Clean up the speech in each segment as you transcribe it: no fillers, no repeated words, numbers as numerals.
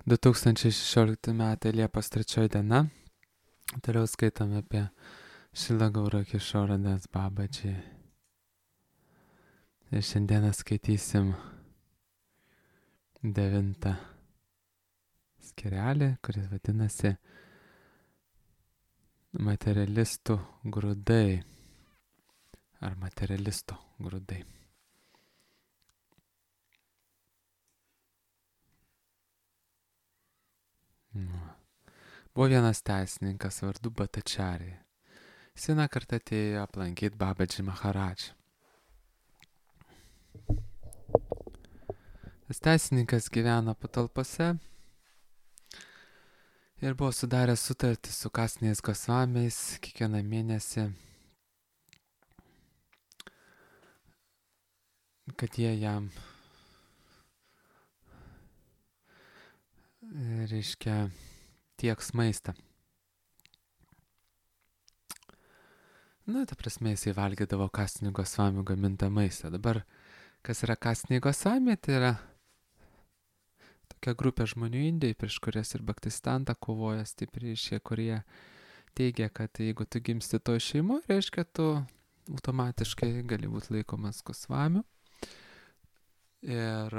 2016 metai Liepos 3 diena. Toliau skaitome apie Šrila Gaura Kišorą Das Babaji. Ir šiandieną skaitysim 9 skirelį, kuris vadinasi Materialistų grūdai ar materialisto grūdai. Buvo vienas teisininkas vardu Bhattacharya. Jis vieną kartą atėjo aplankyti Babaji Maharadžą. Tas teisininkas gyveno patalpose ir buvo sudaręs sutartį su kasiniais Gosvamiais kiekvieną mėnesį, kad jie jam tieks maistą. Ta prasme, jisai valgydavo kasinių Gosvamių gamintą maistą. Dabar, kas yra kasiniai Gosvamiai, tai yra tokia grupė žmonių Indijai, prieš kurias ir Bhaktisiddhanta kovoja stipriai, kurie teigia, kad jeigu tu gimsti toj šeimoje, reiškia, tu automatiškai gali būti laikomas Gosvamiu. Ir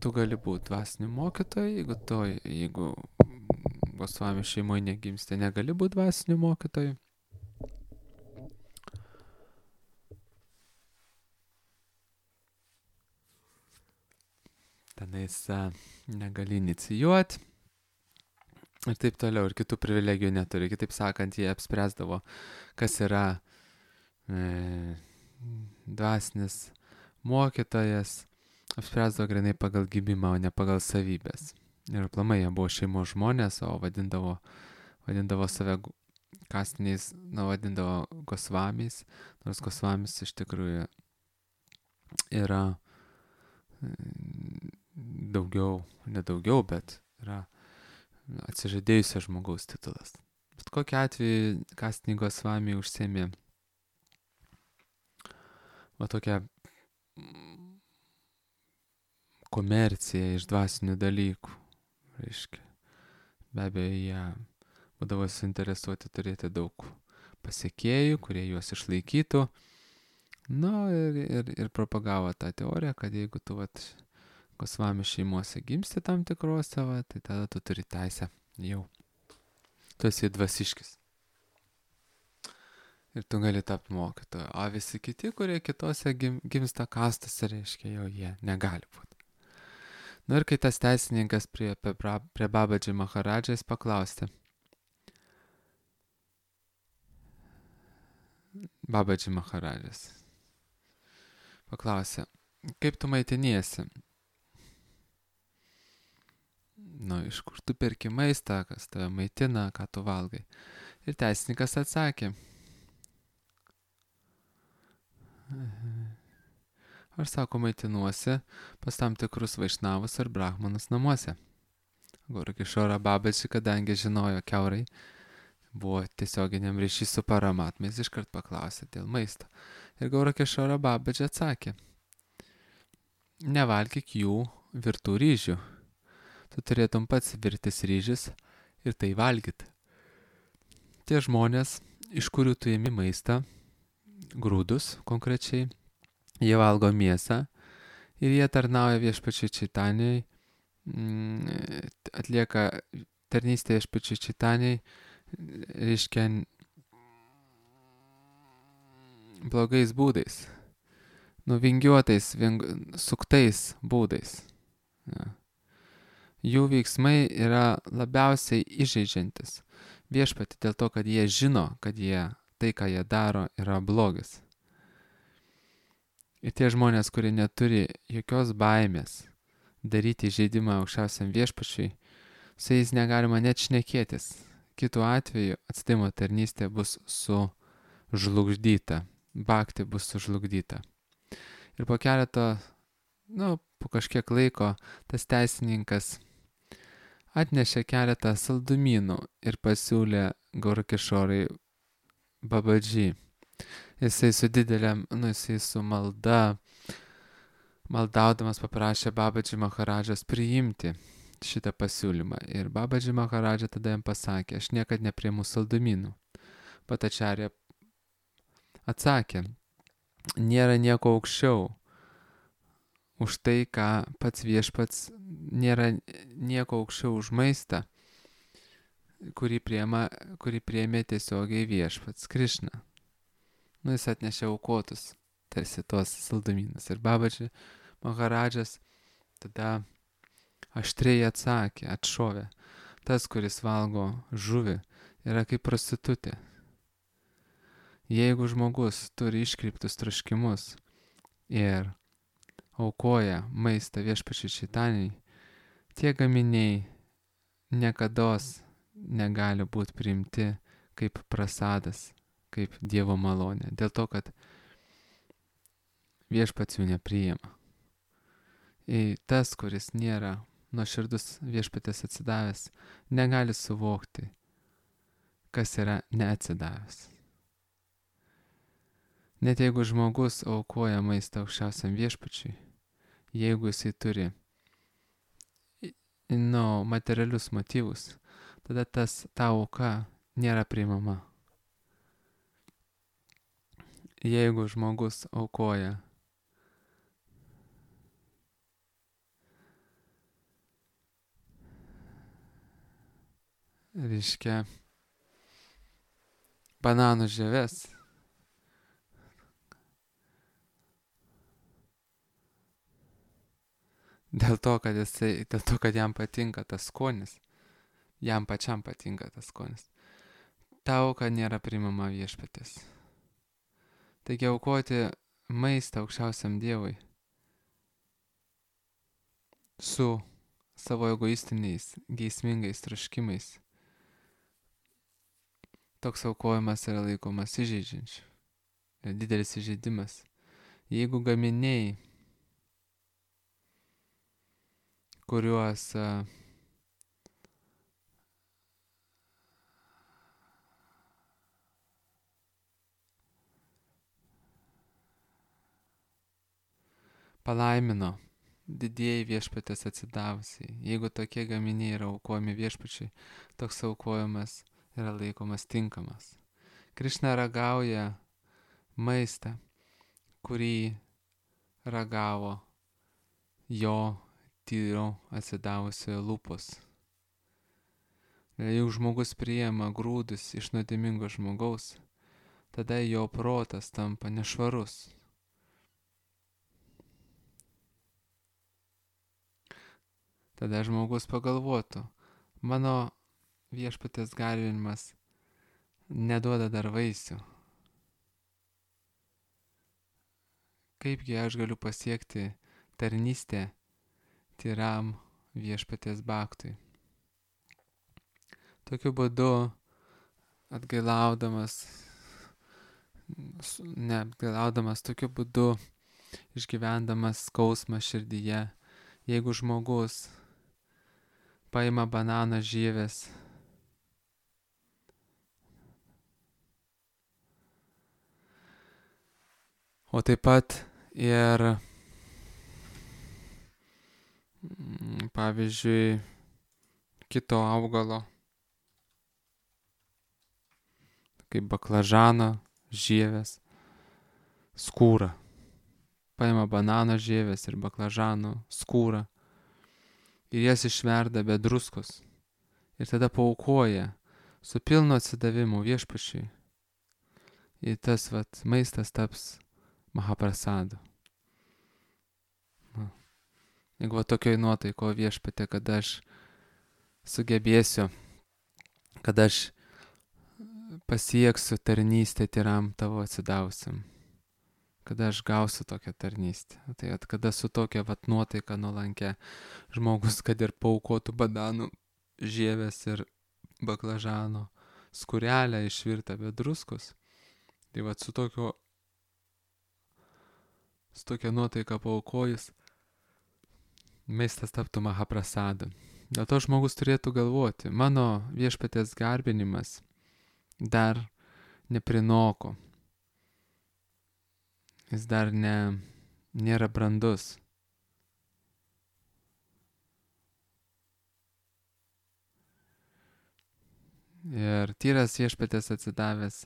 tu gali būti dvasiniu mokytoju, jeigu Gosvamių šeimoje negimsti, negali būti dvasiniu mokytoju. Tenais negali inicijuoti ir taip toliau, ir kitų privilegijų neturi. Kitaip sakant, jie apspręsdavo, kas yra dvasinis mokytojas, apspręsdavo grinai pagal gimimą, o ne pagal savybės. Ir aplamai jie buvo šeimos žmonės, o vadindavo save kasiniais, vadindavo Gosvamiais, nors Gosvamis iš tikrųjų yra bet yra atsižadėjusio žmogaus titulas. Bet kokiu atveju kasiniai Gosvamiai užsiėmė tokią komerciją iš dvasinių dalykų. Reiškia, be abejo, jie būdavo suinteresuoti turėti daug pasekėjų, kurie juos išlaikytų. Ir propagavo tą teoriją, kad jeigu tu Gosvamių šeimose gimsti tam tikrose, tai tada tu turi teisę jau. Tu esi dvasiškis. Ir tu gali tapti mokytoju. O visi kiti, kurie kitose gimsta kastose, reiškia, jau jie negali būti. Ir kai tas teisininkas prie Babaji Maharadžą, jis paklausė. Babaji Maharadžas paklausė, kaip tu maitiniesi? Iš kur tu perki maistą, kas tave maitina, ką tu valgai? Ir teisininkas atsakė. Aš, sako, maitinuosi pas tam tikrus vaišnavus ar brahmanus namuose. Gaura Kišora Babaji, kadangi žinojo kiaurai, buvo tiesioginiam ryšys su paramatmais, iškart paklausė dėl maisto. Ir Gaura Kišora Babaji atsakė. Nevalgyk jų virtų ryžių. Tu turėtum pats virtis ryžius ir tai valgyti. Tie žmonės, iš kurių tu ėmi maistą, grūdus konkrečiai, jie valgo mėsą ir jie tarnauja viešpačiui Čaitanijai, atlieka tarnystę viešpačiui Čaitanijai, reiškia blogais būdais, vingiuotais, suktais būdais. Jų veiksmai yra labiausiai įžeidžiantis viešpatį dėl to, kad jie žino, kad tai, ką jie daro, yra blogis. Ir tie žmonės, kurie neturi jokios baimės daryti įžeidimą aukščiausiam viešpačiui, su jais negalima net šnekėtis. Kitu atveju atsidavimo tarnystė bus sužlugdyta, bhakti bus sužlugdyta. Ir po kažkiek laiko tas teisininkas atnešė keletą saldumynų ir pasiūlė Gaura Kišorai Babaji. Jisai su maldaudamas paprašė Babaji Maharadžas priimti šitą pasiūlymą. Ir Babadži Maharadža tada jam pasakė, aš niekad nepriimu saldumynų. Patačarė atsakė, nėra nieko aukščiau už tai, ką pats viešpats, nėra nieko aukščiau už maistą, kurį priėmė tiesiogiai viešpats Krišna. Jis atnešė aukotus, tarsi tos saldumynus. Ir Babadži Maharadžas tada aštriai atsakė, atšovė, tas, kuris valgo žuvį, yra kaip prostitutė. Jeigu žmogus turi iškreiptus troškimus ir aukoja maistą viešpačiui Čaitanyjai, tie gaminiai niekados negali būti priimti kaip prasadas, kaip Dievo malonė, dėl to, kad viešpats jų nepriima. Ir tas, kuris nėra nuoširdus viešpatės atsidavęs, negali suvokti, kas yra neatsidavęs. Net jeigu žmogus aukoja maistą aukščiausiam viešpačiui, jeigu jisai turi materialius motyvus, tada ta auka nėra priimama. Jeigu žmogus aukoja bananų žieves, dėl to, kad jam patinka tas skonis, jam pačiam patinka tas skonis, ta auka nėra priimama viešpatės. Taigi aukoti maistą aukščiausiam Dievui su savo egoistiniais, geismingais troškimais, toks aukojimas yra laikomas įžeidžiančiu. Yra didelis įžeidimas. Jeigu gaminiai, kuriuos palaimino didieji viešpatės atsidavusiai, jeigu tokie gaminiai yra aukojami viešpačiai, toks aukojimas yra laikomas tinkamas. Krišna ragauja maistą, kurį ragavo jo tyro atsidavusiojo lūpos. Jeigu žmogus priima grūdus iš nuodėmingo žmogaus, tada jo protas tampa nešvarus. Tada žmogus pagalvotų, mano viešpatės garbinimas neduoda dar vaisių. Kaipgi aš galiu pasiekti tarnystę tyram viešpatės baktui. Tokiu būdu tokiu būdu išgyvendamas skausmą širdyje, jeigu žmogus paima banano žieves, o taip pat ir, pavyzdžiui, kito augalo, kaip baklažano žieves, skūrą. Paima banano žieves ir baklažano skūrą ir jas išverda be druskos. Ir tada paaukoja su pilnu atsidavimu viešpačiui. Ir tas maistas taps mahaprasadu. Jeigu tokioj nuotaiko viešpatė, kad aš sugebėsiu, kad aš pasieksiu tarnystę tyram tavo atsidavusiam, kada aš gausiu tokią tarnystę. Tai kada su tokia nuotaika nuolankia žmogus, kad ir paaukotų bananų žieves ir baklažano skūrelę išvirtą be druskos, tai su tokia nuotaika paaukojus, maistas taptų mahaprasadu. Dėl to žmogus turėtų galvoti, mano viešpatės garbinimas dar neprinoko. Jis dar nėra brandus. Ir tyras viešpatės atsidavęs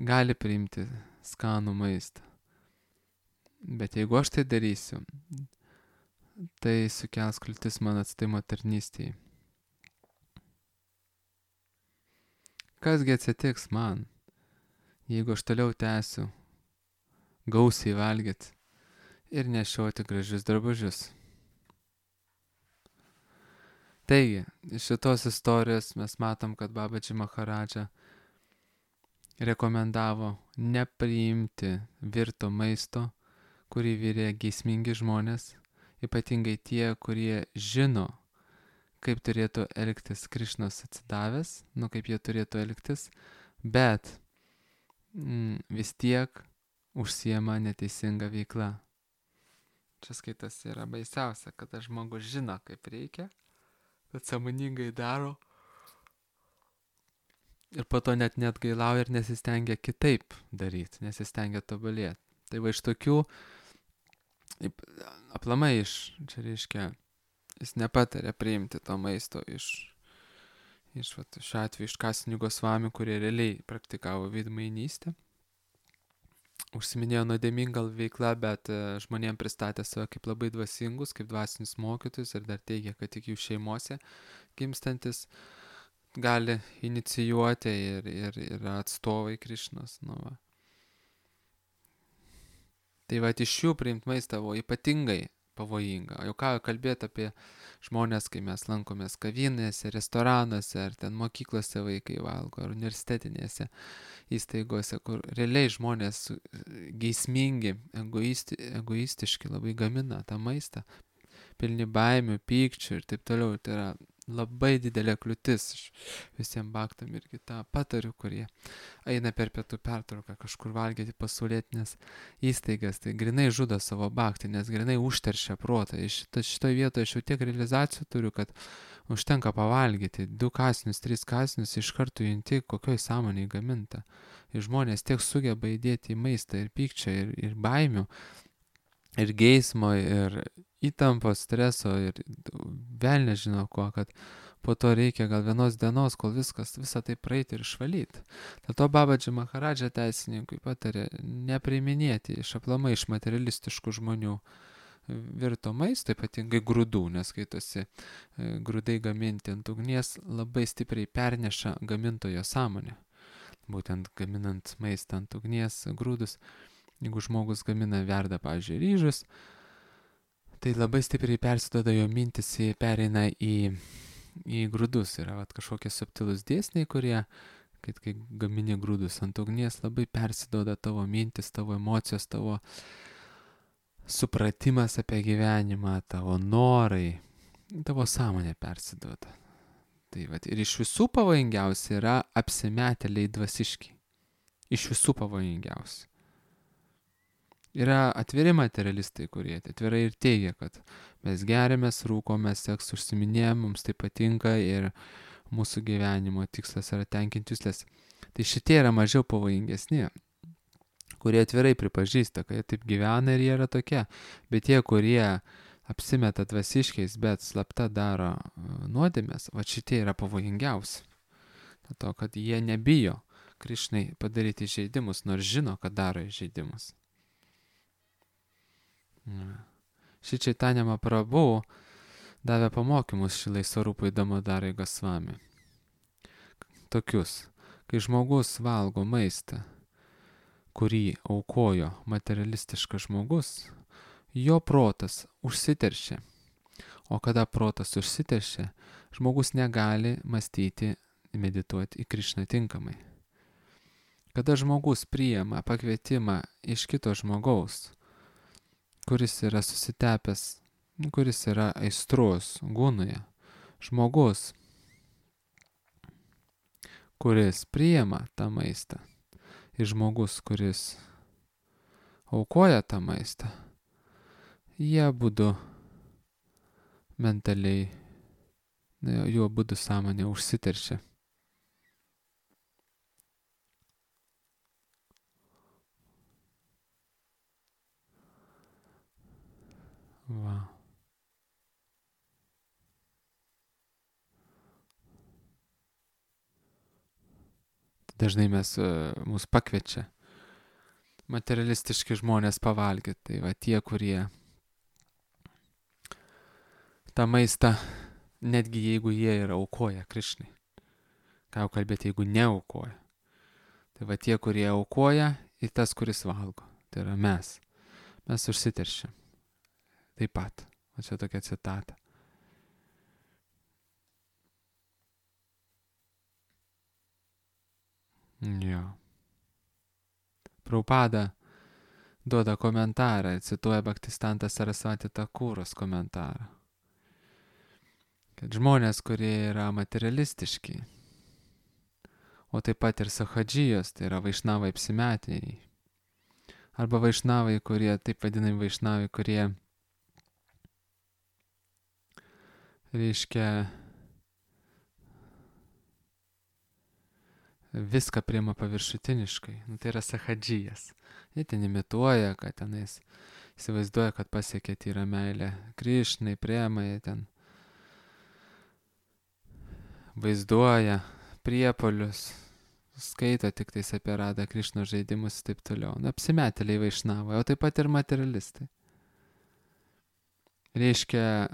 gali priimti skanų maistą. Bet jeigu aš tai darysiu, tai sukels kliūtis mano atstatymo tarnystėje. Kasgi atsitiks man, jeigu aš toliau tęsiu gausiai valgyti ir nešioti gražius drabužius? Taigi, iš šitos istorijos mes matom, kad Babaji Maharadža rekomendavo nepriimti virto maisto, kurį virė geismingi žmonės, ypatingai tie, kurie žino, kaip turėtų elgtis Krišnos atsidavęs, kaip jie turėtų elgtis, bet vis tiek užsiema neteisinga veikla. Čia skaitas yra baisiausia, kada žmogus žino, kaip reikia, bet sąmoningai daro ir po to net gailauja ir nesistengia kitaip daryti, nesistengia tobulėti. Tai va iš tokių, aplamai čia reiškia, jis nepatarė priimti to maisto šiuo atveju iš Kasinigo Svami, kurie realiai praktikavo veidmainystę. Užsiminėjo nuodėminga veikla, bet žmonėm pristatė save kaip labai dvasingus, kaip dvasinius mokytojus ir dar teigia, kad tik jų šeimose gimstantis gali inicijuoti ir yra atstovai Krišnos. Tai va, iš jų priimti maistą buvo ypatingai pavojinga. Jau ką kalbėti apie žmonės, kai mes lankomės kavinėse, restoranuose, ar ten mokyklose vaikai valgo, ar universitetinėse įstaigose, kur realiai žmonės geismingi, egoistiški labai gamina tą maistą, pilni baimių, pykčių ir taip toliau. Tai yra labai didelė kliūtis visiems baktam irgi tą patariu, kurie eina per pietų pertrauką kažkur valgyti pasaulietinės įstaigas, tai grinai žudo savo baktį, nes grinai užteršia protą. Šitoje vietoje aš jau tiek realizacijų turiu, kad užtenka pavalgyti 2 kąsnius, 3 kąsnius, iš karto junti, kokioj sąmonėje gaminta. Ir žmonės tiek sugeba įdėti į maistą ir pykčio, ir baimių, ir geismo, ir įtampos, streso, ir vėl nežinau ko, kad po to reikia gal vienos dienos, kol visą tai praeiti ir išvalyti. Dėl to Babaji Maharadža teisininkui patarė nepriiminėti aplamai iš materialistiškų žmonių virto maisto, ypatingai grūdų, nes skaitosi grūdai gaminti ant ugnies labai stipriai perneša gamintojo sąmonę. Būtent gaminant maistą ant ugnies, grūdus, jeigu žmogus gamina, verda, pavyzdžiui, ryžius, tai labai stipriai persiduoda jo mintis, pereina į grūdus. Yra kažkokie subtilūs dėsniai, kurie, kai gamini grūdus ant ugnies, labai persiduoda tavo mintis, tavo emocijos, tavo supratimas apie gyvenimą, tavo norai, tavo sąmonė persiduoda. Tai ir iš visų pavojingiausia yra apsimetėliai dvasiški. Iš visų pavojingiausia. Yra atviri materialistai, kurie atvirai ir teigia, kad mes geriamės, rūkomės, seks užsiminėjom, mums tai patinka ir mūsų gyvenimo tikslas yra tenkinti juslės. Tai šitie yra mažiau pavojingesni, kurie atvirai pripažįsta, kad jie taip gyvena ir jie yra tokie. Bet tie, kurie apsimeta dvasiškiais, bet slapta daro nuodėmės, va šitie yra pavojingiausi. Dėl to, kad jie nebijo Krišnai padaryti įžeidimus, nors žino, kad daro įžeidimus. Ši Chaitanya Mahaprabhu davė pamokymus Šilai Svarupai Damodarai Gosvami. Tokius, kai žmogus valgo maistą, kurį aukojo materialistiškas žmogus, jo protas užsiteršia. O kada protas užsiteršia, žmogus negali mąstyti, medituoti į Krišną tinkamai. Kada žmogus priima pakvietimą iš kito žmogaus, kuris yra susitepęs, kuris yra aistrus, gunoje, žmogus, kuris priima tą maistą, ir žmogus, kuris aukoja tą maistą, jie abudu mentaliai, jų abudu sąmonė užsiteršia. Va. dažnai mus pakviečia materialistiški žmonės pavalgyti. Tai va tie, kurie tą maistą, netgi jeigu jie yra aukoja Krišnai. Ką jau kalbėti, jeigu neaukoja. Tai va tie, kurie aukoja ir tas, kuris valgo. Tai yra mes. Mes užsiteršiam. Taip pat. O čia tokia citata. Jo. Prabhupada duoda komentarą, cituoja Bhaktisiddhanta Sarasvati Thakuros komentarą. Kad žmonės, kurie yra materialistiški, o taip pat ir sahadžijos, tai yra vaišnavai apsimetėjai, arba vaišnavai, kurie, taip vadinami vaišnavai, kurie reiškia viską priima paviršutiniškai. Tai yra sahadžijas. Jie ten imituoja, kad tenais įsivaizduoja, kad pasiekė tyrą meilę Krišnai, priema, jie ten vaizduoja priepolius, skaito tik tais apie Radą Krišnos žaidimus ir taip toliau. Apsimetėliai vaišnavai, o taip pat ir materialistai. Reiškia,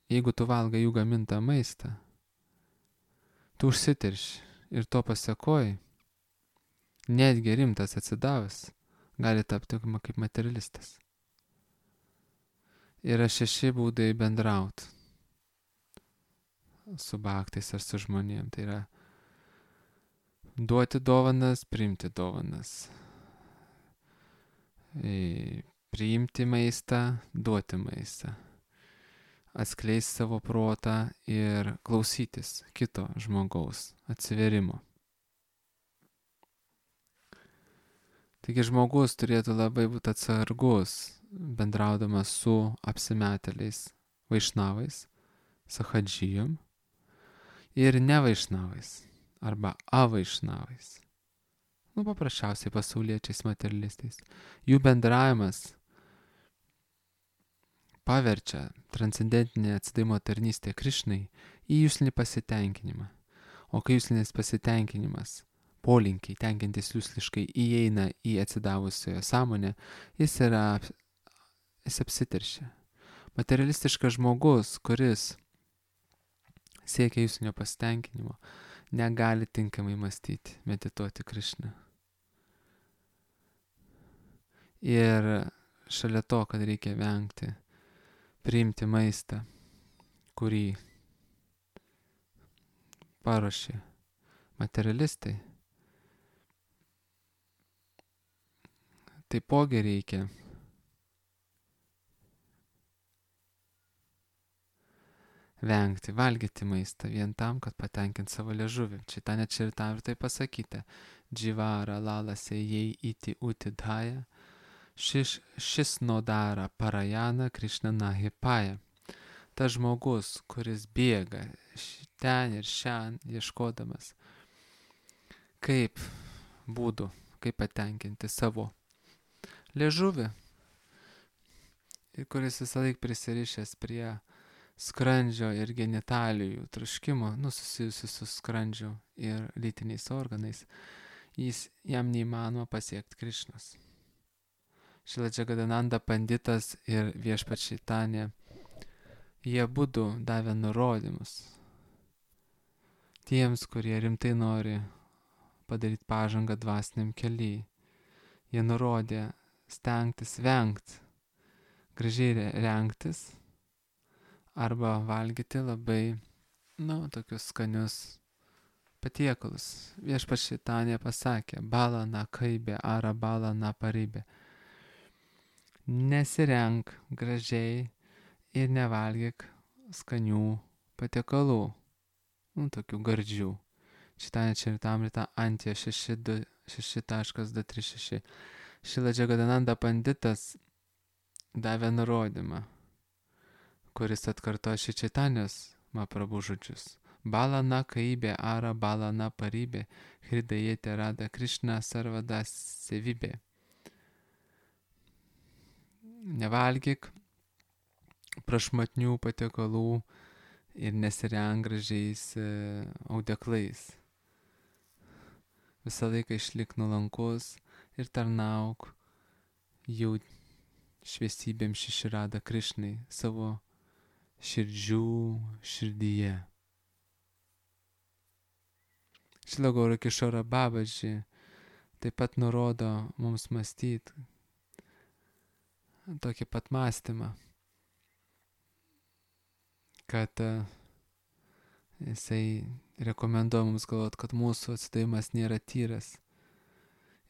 jeigu tu valgai jų gamintą maistą, tu užsitirši ir to pasekoji, netgi rimtas atsidavęs, gali tapti kaip materialistas. Yra 6 būdai bendrauti su bhaktais ar su žmonėm. Tai yra duoti dovanas, priimti dovanas. Priimti maistą, duoti maistą. Atskleisti savo protą ir klausytis kito žmogaus atsiverimo. Taigi žmogus turėtų labai būti atsargus, bendraudamas su apsimetėliais vaišnavais, sahadžijom ir nevaišnavais arba avaišnavais. Paprasčiausiai pasauliečiais materialistais. Jų bendravimas paverčia transcendentinę atsidavimo tarnystę Krišnai į juslinį pasitenkinimą. O kai juslinis pasitenkinimas, polinkiai tenkintis jusliškai įeina į atsidavusiojo sąmonę, jis apsiteršia. Materialistiškas žmogus, kuris siekia juslinio pasitenkinimo, negali tinkamai mąstyti, medituoti Krišną. Ir šalia to, kad reikia vengti priimti maistą, kurį paruošė materialistai, taipogi reikia vengti valgyti maistą vien tam, kad patenkinti savo liežuvį. Čitane Čaritamritoje tai pasakyta: Dživara lalase jei iti utidhaja, šis nodara parajana Krišna nahipaja. Tas žmogus, kuris bėga ten ir šian ieškodamas kaip būdų, kaip patenkinti savo liežuvį, ir kuris visą laiką prisirišęs prie skrandžio ir genitalijų troškimo, susijusių su skrandžiu ir lytiniais organais, jam neįmanoma pasiekti Krišnos. Šrila Džagadananda Panditas ir Viešpats Čaitanija, jie abudu davė nurodymus tiems, kurie rimtai nori padaryti pažangą dvasiniam kelyje. Jie nurodė stengtis vengti, gražiai rengtis arba valgyti labai, tokius skanius patiekalus. Viešpats Čaitanija pasakė: bala na kaibė ara bala na paribė. Nesirenk gražiai ir nevalgyk skanių patiekalų, tokių gardžių. Čitane Čaritamrita Antija 6.236. Šrila Džagadananda Panditas davė nurodymą, kuris atkartoja šį Čaitanijos Mahaprabhu žodžius. Bala na kaibė ara bala na paribė, hridayete rada Krišna sarvada sevibė. Nevalgyk prašmatnių patiekalų ir nesirenk gražiais audeklais. Visą laiką išlik nuolankus ir tarnauk jau šviesybėm Šiširada Krišnai savo širdyje. Šrila Gaura Kišora Babaji taip pat nurodo mums mąstyti tokį pat mąstymą, kad jisai rekomenduoja mums galvoti, kad mūsų atsidavimas nėra tyras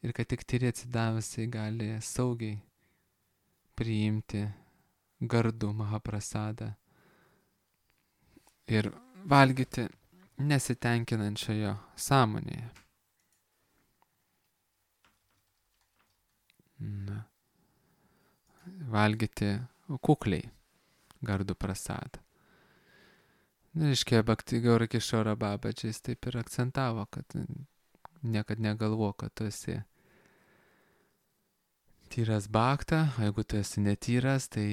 ir kad tik tyri atsidavusiai gali saugiai priimti gardų Mahaprasadą ir valgyti nesitenkinančioje sąmonėje. Valgyti kukliai gardų prasadą. Reiškia, Bhakti Gaura Kišora Babaji taip ir akcentavo, kad niekad negalvo, kad tu esi tyras bhakta, o jeigu tu esi netyras, tai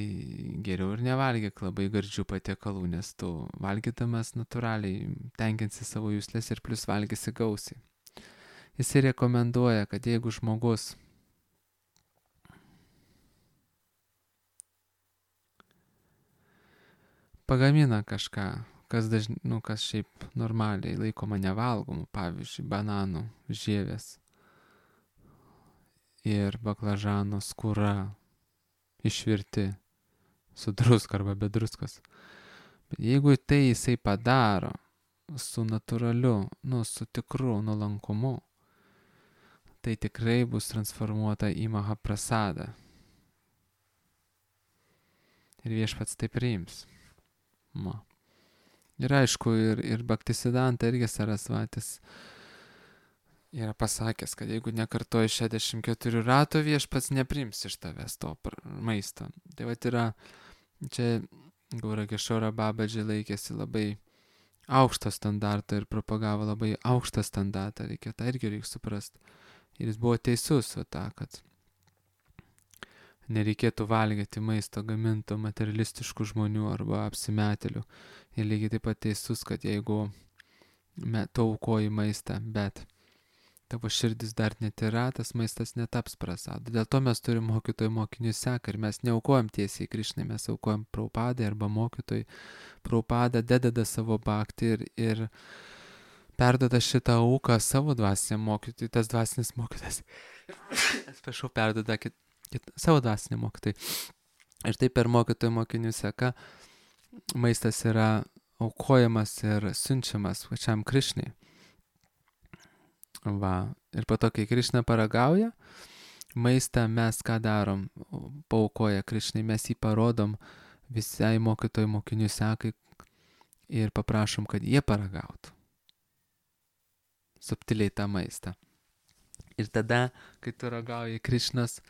geriau ir nevalgyk labai gardžių patiekalų, nes tu valgydamas natūraliai tenkinsi savo juslės ir plus valgysi gausiai. Jis rekomenduoja, kad jeigu žmogus pagamina kažką, kas šiaip normaliai laikoma nevalgomu, pavyzdžiui, bananų žievės ir baklažano skūra išvirti su druska arba be druskos. Bet jeigu tai jisai padaro su natūraliu, su tikru nuolankumu, tai tikrai bus transformuota į Mahaprasadą. Ir Viešpats tai priims. Ir aišku, ir Bhaktisiddhanta irgi Sarasvatis yra pasakęs, kad jeigu nekartoji 64 ratų, Viešpats nepriims iš tavęs to maisto. Tai vat yra, čia Gaura Kišora Babaji laikėsi labai aukšto standarto ir propagavo labai aukštą standartą, tą irgi reikia suprasti. Ir jis buvo teisus, kad nereikėtų valgyti maisto gaminto materialistiškų žmonių arba apsimetėlių. Ir lygiai taip pat teisus, kad jeigu tu aukoji maistą, bet tavo širdis dar netyra, tas maistas netaps prasadu. Dėl to mes turim mokytojų mokinių seką ir mes neaukojam tiesiai Krišnai, mes aukojam Prabhupadai arba mokytojai. Prabhupada dedada savo bhakti ir perduoda šitą auką savo dvasiniam mokytojui, tas dvasinis mokytas. Atsiprašau, perduoda savo dvasiniam mokytojui. Ir taip per mokytojų mokinių seką maistas yra aukojamas ir siunčiamas pačiam Krišnai. Ir po to, kai Krišna paragauja, maistą mes ką darom, paaukoja Krišnai, mes jį parodom visai mokytojų mokinių sekai ir paprašom, kad jie paragautų subtiliai tą maistą. Ir tada, kai tu ragauji Krišnas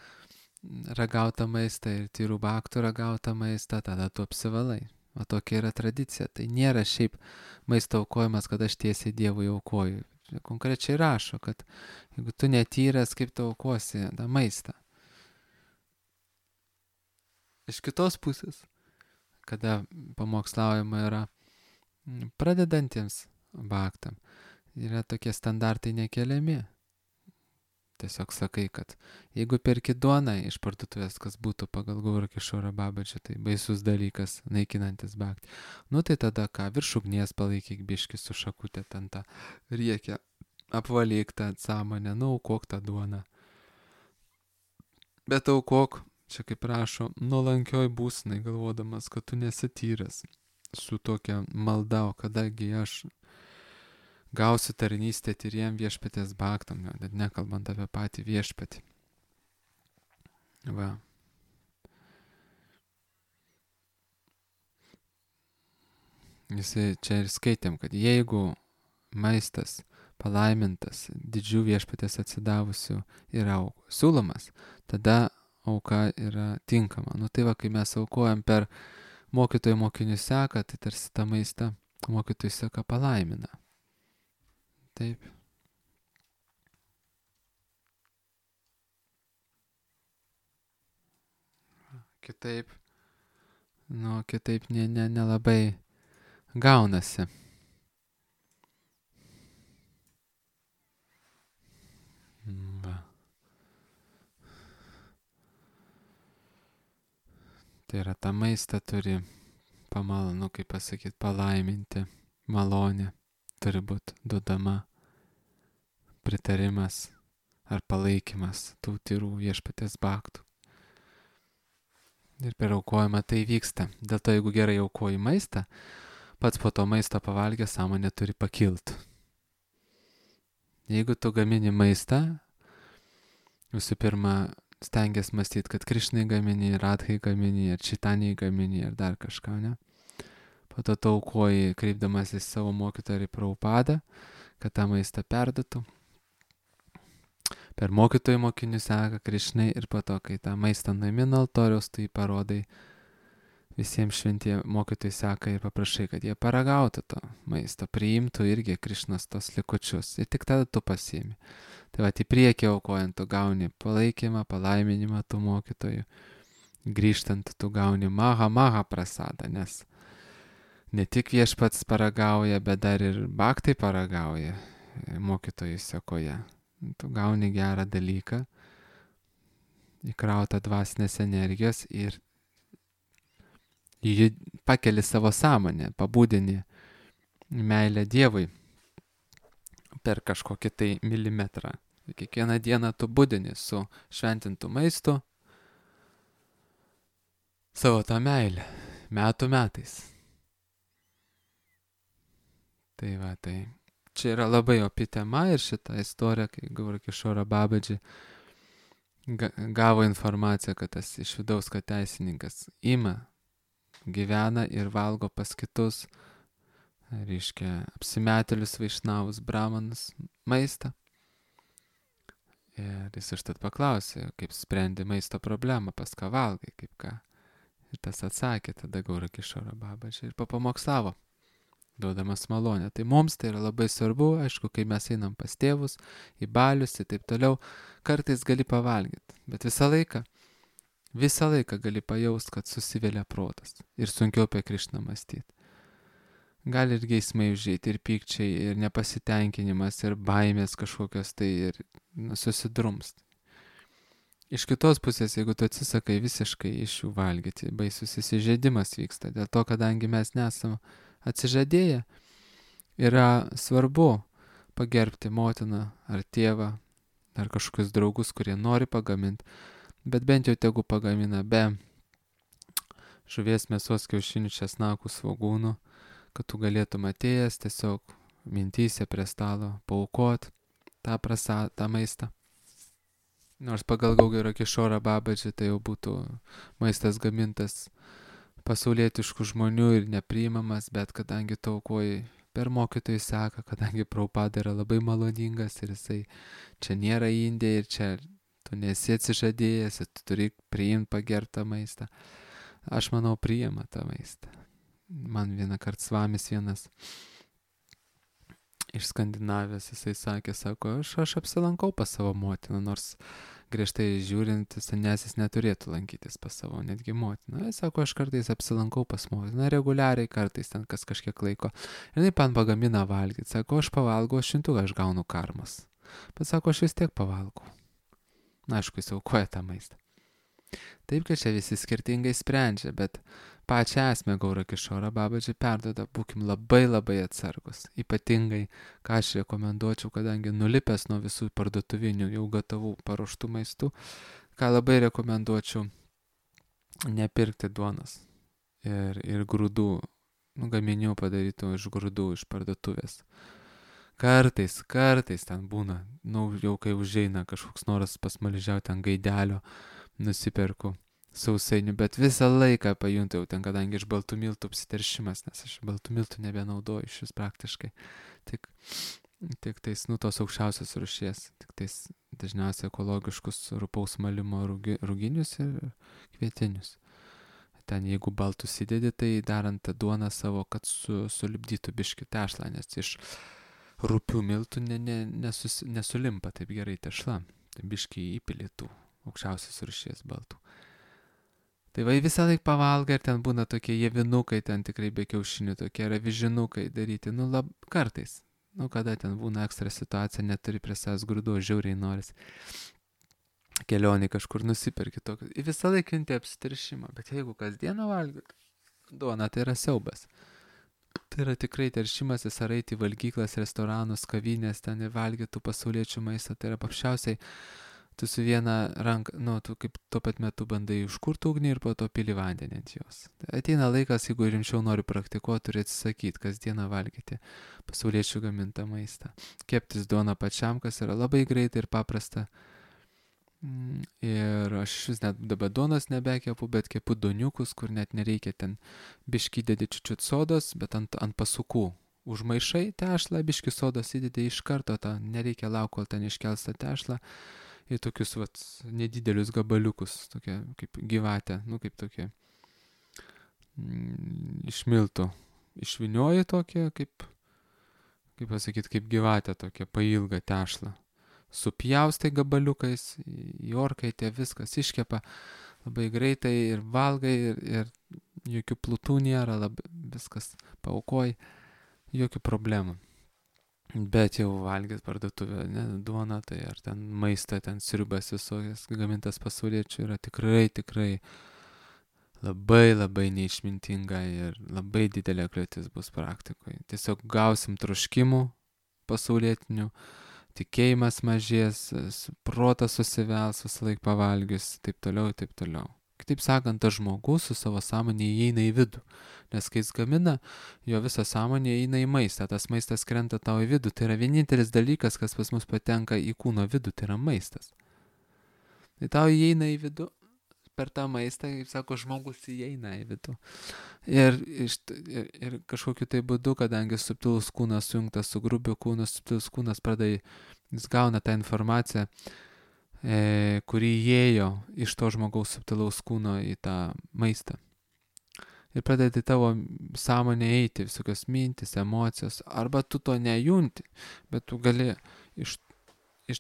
ragautą maistą ir tyrų bhaktų ragautą maistą, tada tu apsivalai. O tokia yra tradicija. Tai nėra šiaip maisto aukojimas, kad aš tiesiai Dievui aukoju. Konkrečiai rašo, kad jeigu tu netyras, kaip tu aukosi tą maistą. Iš kitos pusės, kada pamokslaujama yra pradedantiems bhaktam, yra tokie standartai nekeliami. Tiesiog sakai, kad jeigu perki duoną iš parduotuvės, kas būtų pagal Gaura Kišora Babaji, tai baisus dalykas, naikinantis bhakti. Tai tada ką, virš ugnies palaikyk biškį su šakutė ten tą riekę, apvalyk tą sąmonę, aukok tą duoną. Bet aukok, čia kaip rašo, nuolankioj būsenai, galvodamas, kad tu nesi tyras su tokia malda, o kadagi aš gausiu tarnystę tyriem viešpatės bhaktam, net nekalbant apie patį viešpatį. Jisai čia ir skaitėm, kad jeigu maistas palaimintas didžių viešpatės atsidavusių yra siūlomas, tada auka yra tinkama. Tai kai mes aukojam per mokytojų mokinių seką, tai tarsi tą maistą mokytojų seka palaimina. Taip. Kitaip nelabai gaunasi. Tai yra tą maistą turi kaip pasakyti, palaiminti, malonė turi būti duodama, pritarimas ar palaikymas tų tyrų viešpaties baktų. Ir per aukojimą tai vyksta. Dėl to, jeigu gerai aukoji maistą, pats po to maisto pavalgęs sąmonė turi pakilti. Jeigu tu gamini maistą, visų pirma, stengiasi mąstyti, kad Krišnai gamini, Radhai gamini, ar Čitaniai gamini, ar dar kažką, ne? Po to tu aukoji, kreipdamas į savo mokytoją ir Prabhupadą, kad tą maistą perduotų. Per mokytojų mokinių seka Krišnai ir po to, kai tą maistą nuimina altoriaus, tu jį parodai visiems šventie mokytojai seka ir paprašai, kad jie paragautų to maisto, priimtų irgi Krišnos tos likučius ir tik tada tu pasiimi. Tai va, į priekį aukojant tu gauni palaikymą, palaiminimą tų mokytojų, grįžtant tu gauni maha prasadą, nes ne tik viešpats paragauja, bet dar ir baktai paragauja mokytojų sekoje. Tu gauni gerą dalyką, įkrautą dvasinės energijos ir jį pakeli savo sąmonę, pabudini meilę Dievui per kažkokį tai milimetrą. Kiekvieną dieną tu budini su šventintu maistu savo tą meilę, metų metais. Tai va, tai čia yra labai opi tema ir šita istorija, kai Gaura Kišora Babaji gavo informaciją, kad tas iš vidaus, kad teisininkas ima, gyvena ir valgo pas kitus, reiškia, apsimetėlius, vaišnavus, brahmanus maistą. Ir jis užtat paklausė, kaip sprendi maisto problemą, pas ką valgai, kaip ką. Ir tas atsakė tada Gaura Kišora Babaji ir papamokslavo, duodamas malonę. Tai mums tai yra labai svarbu, aišku, kai mes einam pas tėvus, į balius ir taip toliau, kartais gali pavalgyti, bet visą laiką gali pajaust, kad susivėlia protas ir sunkiau apie Krišną mąstyti. Gali ir geismai užeiti, ir pykčiai, ir nepasitenkinimas, ir baimės kažkokios tai, ir susidrumst. Iš kitos pusės, jeigu tu atsisakai visiškai iš jų valgyti, baisus įsižeidimas vyksta, dėl to, kadangi mes nesam atsižadėję, yra svarbu pagerbti motiną ar tėvą, ar kažkokius draugus, kurie nori pagaminti, bet bent jau tegu pagamina be žuvies, mėsos, kiaušinių, česnakų, svogūnų, kad tu galėtum atėjęs tiesiog mintyse prie stalo paaukot tą maistą. Nors pagal Gaura Kišora Babaji tai jau būtų maistas gamintas pasaulietiškų žmonių ir nepriimamas, bet kadangi tu aukoji per mokytojų seką, kadangi Prabhupada yra labai maloningas ir jisai čia nėra Indija ir čia tu nesi atsižadėjęs ir tu turi priimti pagertą maistą. Aš manau, priima tą maistą. Man vieną kartą svamis vienas iš Skandinavijos, jisai sakė, sako, aš apsilankau pas savo motiną, nors griežtai žiūrint, senesis neturėtų lankytis pas savo netgi motiną. Jis sako, aš kartais apsilankau pas motiną, reguliariai kartais ten kažkiek laiko. Ir jinai man pagamina valgyti. Sako, aš pavalgau, aš gaunu karmas. Bet sako, aš vis tiek pavalgau. Na, aišku, jis aukoja tą maistą. Taip, kad čia visi skirtingai sprendžia, bet pačią esmę Gaura Kišora Babaji perduoda, būkim labai atsargus. Ypatingai, ką aš rekomenduočiau, kadangi nulipęs nuo visų parduotuvinių jau gatavų paruoštų maistų, ką labai rekomenduočiau, nepirkti duonos ir grūdų, gaminių padarytų iš grūdų, iš parduotuvės. Kartais ten būna, jau kai užeina kažkoks noras pasmaližiauti ant gaidelio, nusiperku sausainių, bet visą laiką pajuntu ten, kadangi iš baltų miltų apsiteršimas, nes aš baltų miltų nebenaudoju iš vis praktiškai. Tik tais, tos aukščiausios rūšies, tik tais dažniausiai ekologiškus rupaus malimo ruginius ir kvietinius. Ten jeigu baltus įdedi, tai darant tą duoną savo, kad sulipdytų biškį tešlą, nes iš rupių miltų nesulimpa taip gerai tešla, tai biškį įpilėtų aukščiausios rūšies baltų. Tai va visą laiką pavalga ir ten būna tokie jievinukai, ten tikrai be kiaušinių, tokie ravižinukai daryti, kartais. Kada ten būna ekstra situacija, neturi prie savęs grūdų, žiauriai noris. kelionį kažkur nusiperki tokį. Ir visą laiką jauti apsiteršimą, bet jeigu kasdieną valgyt duoną, tai yra siaubas. Tai yra tikrai teršimasis, ar eiti į valgyklas, restoranus, kavinės, ten ir valgytų pasauliečių maistą. Tai yra paprasčiausiai, tu su viena ranka, tu kaip tuo pat metu bandai užkurti ugnį ir po to pili vandenį ant jos. Tai ateina laikas, jeigu rimčiau nori praktikuoti, turi atsisakyti kasdieną valgyti pasauliečių gamintą maistą. Keptis duoną pačiam, kas yra labai greitai ir paprasta. Ir aš vis net dabar duonos nebekepu, bet kepu doniukus, kur net nereikia ten biški įdedi čiučiut sodos, bet ant pasukų. Užmaišai tešlą, biški sodos įdedi iš karto, nereikia laukti, kol ten iškels tą tešlą. Ir tokius nedidelius gabaliukus, tokie kaip gyvatė, kaip tokie iš miltų. Išvinioji tokie, kaip pasakyti, kaip gyvatė tokia pailga tešlą. Supjaustai gabaliukais, į orkaitę viskas iškepa labai greitai ir valgai ir jokių plutų nėra, viskas paaukoji, jokių problemų. Bet jau valgyt parduotuvę, duoną, tai ar ten maistą, ten sriubas visokias gamintas pasauliečių yra tikrai labai neišmintinga ir labai didelė kliūtis bus praktikoje. Tiesiog gausim troškimų pasaulietinių, tikėjimas mažės, protas susivels visą laiką pavalgius, taip toliau. Kitaip sakant, tas žmogus su savo sąmonė įeina į vidų, nes kai jis gamina, jo visa sąmonė įeina į maistą, tas maistas krenta tau į vidų, tai yra vienintelis dalykas, kas pas mus patenka į kūno vidų, tai yra maistas. Tai tau įeina į vidų, per tą maistą, kaip sako, žmogus įeina į vidų. Ir kažkokiu tai būdu, kadangi subtilus kūnas sujungtas su grubiu kūnu, subtilus kūnas jis gauna tą informaciją, kuri įėjo iš to žmogaus subtilaus kūno į tą maistą. Ir pradedi tavo sąmonė eiti, visokios mintis, emocijos, arba tu to nejunti, bet tu gali iš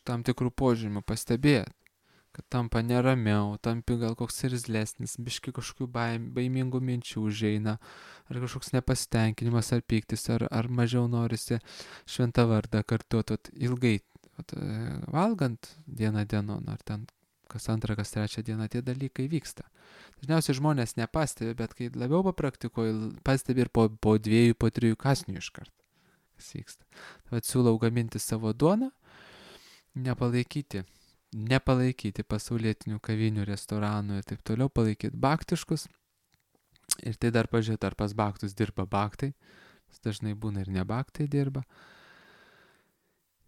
tam tikrų požymių pastebėti, kad tampa neramiau, tampi gal koks irzlesnis, biški kažkokių baimingų minčių užeina, ar kažkoks nepasitenkinimas, ar pyktis, ar mažiau norisi šventą vardą kartuoti ilgai. Valgant dieną dienon, ar ten kas antrą, kas trečią dieną tie dalykai vyksta. Dažniausiai žmonės nepastebi, bet kai labiau papraktikuoji, pastebi ir po 2, po 3 kąsnių iškart, kas vyksta. Tad siūlau gaminti savo duoną, nepalaikyti pasaulietinių kavinių, restoranų ir taip toliau, palaikyti baktiškus. Ir tai dar pažiūrėti, ar pas baktus dirba baktai, dažnai būna ir ne baktai dirba.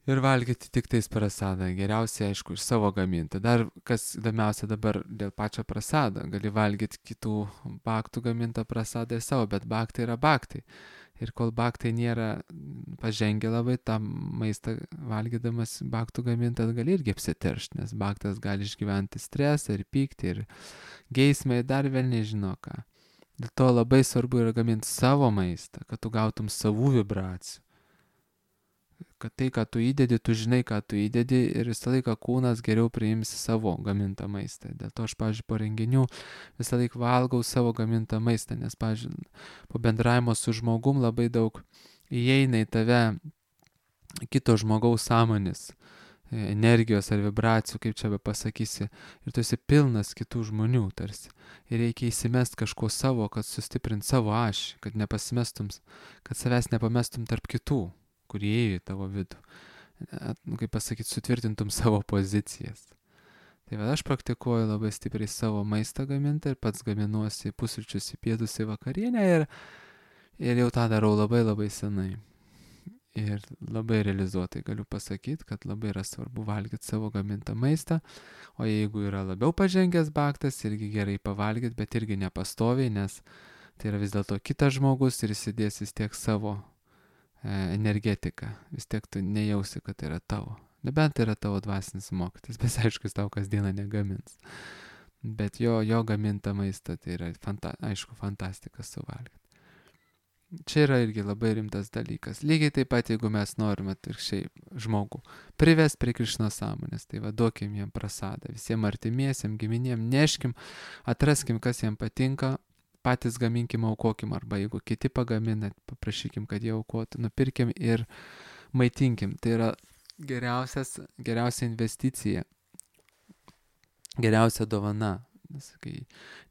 Ir valgyti tik tais prasadą. Geriausiai, aišku, iš savo gaminti. Dar kas įdomiausia dabar dėl pačio prasado. Gali valgyti kitų baktų gamintą prasadą ir savo, bet baktai yra baktai. Ir kol baktai nėra pažengę labai, tą maistą valgydamas baktų gamintą gali irgi apsiteršti, nes baktas gali išgyventi stresą ir pyktį ir geismą ir dar vėl nežino ką. Dėl to labai svarbu yra gaminti savo maistą, kad tu gautum savų vibracijų. Kad tai, ką tu įdedi, tu žinai, ką tu įdedi ir visą laiką kūnas geriau priims savo gamintą maistą. Dėl to aš, pavyzdžiui, po renginių visą laiką valgau savo gamintą maistą, nes, pavyzdžiui, po bendravimo su žmogum labai daug įeina į tave kito žmogaus sąmonės, energijos ar vibracijų, kaip čia be pasakysi, ir tu esi pilnas kitų žmonių tarsi. Ir reikia įsimest kažko savo, kad sustiprint savo ašį, kad nepasimestum, kad savęs nepamestum tarp kitų, kurie įėjo į tavo vidų. Kaip pasakyti, sutvirtintum savo pozicijas. Tai aš praktikuoju labai stipriai savo maistą gamintą ir pats gaminuosi pusryčius, į pietus, į vakarienę ir jau tą darau labai senai. Ir labai realizuotai galiu pasakyti, kad labai yra svarbu valgyti savo gamintą maistą, o jeigu yra labiau pažengęs baktas, irgi gerai pavalgyti, bet irgi nepastoviai, nes tai yra vis dėlto kitas žmogus ir įsidės vis tiek savo energetiką, vis tiek tu nejausi, kad tai yra tavo. Nebent tai yra tavo dvasinis mokytis, bet aišku, jis tau kasdieną negamins. Bet jo gamintą maistą tai yra, fantastika suvalgyti. Čia yra irgi labai rimtas dalykas. Lygiai taip pat, jeigu mes norime atvirkščiai žmogų privesti prie Krišnos sąmonės, tai duokim jam prasadą, visiems artimiesiem, giminėm, neškim, atraskim, kas jam patinka, patys gaminkim, aukokim, arba jeigu kiti pagamina, paprašykim, kad jie aukotų, nupirkim ir maitinkim. Tai yra geriausia investicija geriausia dovana. Kai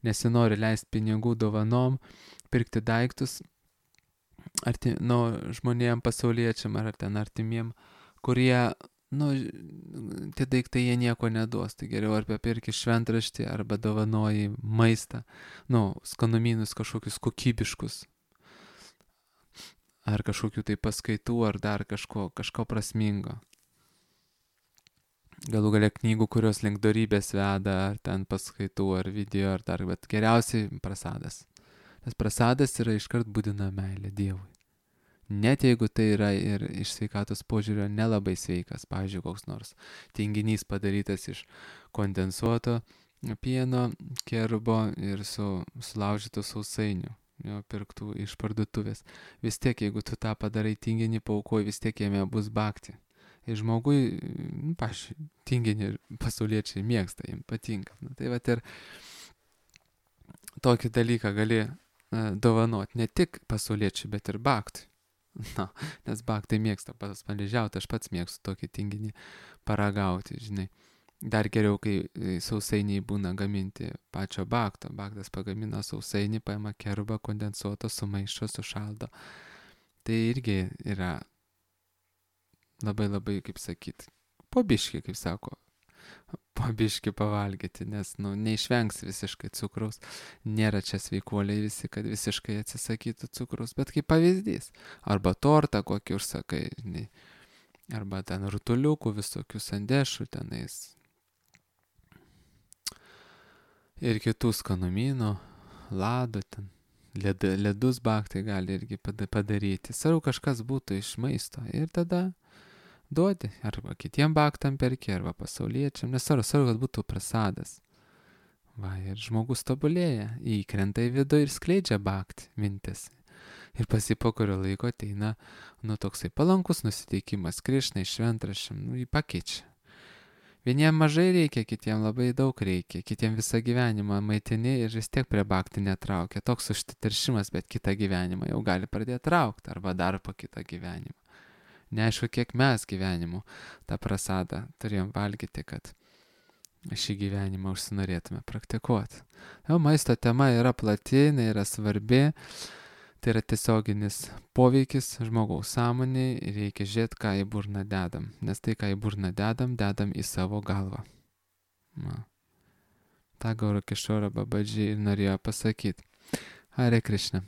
nesinori leisti pinigų dovanom, pirkti daiktus žmonėm pasauliečiam ar ten artimiem, kurie, tie daiktai jie nieko neduos. Tai geriau arba pirki šventraštį, arba dovanoji maistą, skanumynus kažkokius kokybiškus, ar kažkokių tai paskaitų, ar dar kažko prasmingo. Galų galia knygų, kurios link dorybės veda, ar ten paskaitų, ar video, ar dar, bet geriausiai prasadas. Tas prasadas yra iškart būdina meilė Dievui. Net jeigu tai yra ir iš sveikatos požiūrio nelabai sveikas, pavyzdžiui, koks nors tinginys padarytas iš kondensuoto pieno, kerubo ir sulaužytų sausainių, jo pirktų iš parduotuvės. Vis tiek, jeigu tu tą padarai tinginį, paaukoji, vis tiek jame bus bakti. Ir žmogui, tinginį pasauliečiai mėgsta, jiems patinka. Tai va ir tokį dalyką gali dovanoti ne tik pasauliečiai, bet ir baktui. Nes baktai mėgsta paspaližiauti, aš pats mėgstu tokį tinginį paragauti, žinai. Dar geriau, kai sausainiai būna gaminti pačio bakto. Baktas pagamina sausainį, paima kerubą kondensuoto, sumaišo, sušaldo. Tai irgi yra labai, kaip sakyt, po biškį, kaip sako, po biškį pavalgyti, nes, neišvengs visiškai cukraus. Nėra čia sveikuoliai visi, kad visiškai atsisakytų cukraus, bet kaip pavyzdys. Arba tortą kokį užsakai, žinai, arba ten rutuliukų, visokių sandėšų tenais. Ir kitų skanumynų, ladų ten, ledus baktai gali irgi padaryti. Svarbu kažkas būtų iš maisto ir tada duodi, arba kitiem baktam perki, arba pasauliečiam, nesvarbu, kad būtų prasadas. Va, ir žmogus tobulėja, įkrenta į vidų ir skleidžia baktį mintis. Ir po kurio laiko ateina, toksai palankus nusiteikimas, Krišnai, šventraščiam, jį pakeičia. Vieniem mažai reikia, kitiem labai daug reikia, kitiem visą gyvenimą maitini ir vis tiek prie baktį netraukia. Toks užteršimas, bet kitą gyvenimą jau gali pradėti traukti, arba dar po kitą gyvenimą. Neaišku, kiek mes gyvenimu tą prasadą turėjom valgyti, kad šį gyvenimą užsinorėtume praktikuoti. Maisto tema yra plati, jinai yra svarbi, tai yra tiesioginis poveikis žmogaus sąmonėj ir reikia žiūrėti, ką į burną dedam, nes tai, ką į burną dedam į savo galvą. Ta Gaura Kishora Babaji ir norėjo pasakyti. Hare Krishna.